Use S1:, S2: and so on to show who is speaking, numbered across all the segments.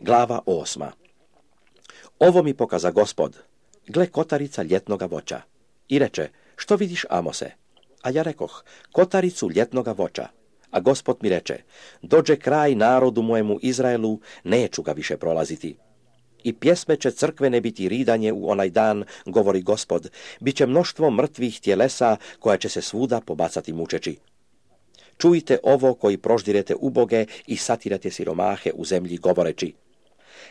S1: Glava 8. Ovo mi pokaza Gospod, gle kotarica ljetnoga voća. I reče, što vidiš, Amose? A ja rekoh, kotaricu ljetnoga voća. A Gospod mi reče, dođe kraj narodu mojemu Izraelu, neću ga više prolaziti. I pjesme će crkvene biti ridanje u onaj dan, govori Gospod, bit će mnoštvo mrtvih tjelesa koja će se svuda pobacati mučeći. Čujte ovo koji proždirete uboge i satirate siromahe u zemlji govoreći.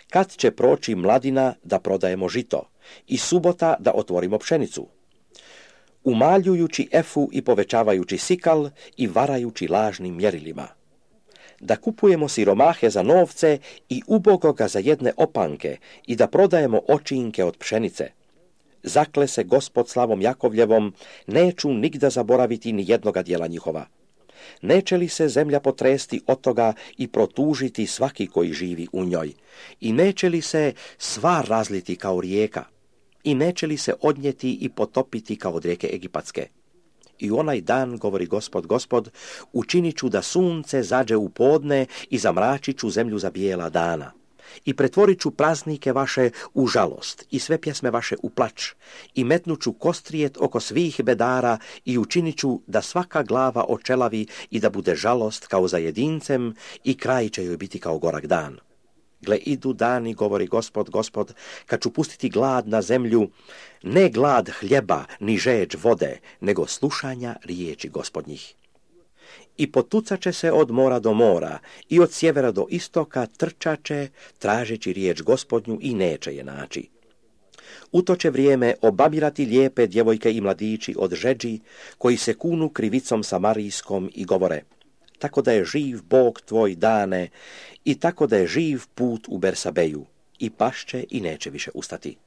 S1: Kad će proći mladina da prodajemo žito i subota da otvorimo pšenicu? Umaljujući efu i povećavajući sikal i varajući lažnim mjerilima. Da kupujemo siromahe za novce i ubogoga za jedne opanke i da prodajemo očinke od pšenice. Zakle se Gospod slavom Jakovljevom, neću nigda zaboraviti ni jednoga djela njihova. Neće li se zemlja potresti od toga i protužiti svaki koji živi u njoj? I neće li se sva razliti kao rijeka? I neće li se odnijeti i potopiti kao od rijeke Egipatske? I u onaj dan, govori Gospod, učinit ću da sunce zađe u podne i zamračit ću zemlju za bijela dana. I pretvorit ću praznike vaše u žalost i sve pjesme vaše u plač. I metnut ću kostrijet oko svih bedara i učinit ću da svaka glava očelavi i da bude žalost kao za jedincem i kraj će joj biti kao gorak dan. Gle, idu dani, govori Gospod, kad ću pustiti glad na zemlju, ne glad hljeba, ni žeđ vode, nego slušanja riječi Gospodnjih. I potucaće se od mora do mora i od sjevera do istoka trčaće, tražeći riječ Gospodnju i neće je naći. U to će vrijeme obabirati lijepe djevojke i mladići od žeđi, koji se kunu krivicom samarijskom i govore, tako da je živ Bog tvoj Dane i tako da je živ put u Bersabeju, i pašće i neće više ustati.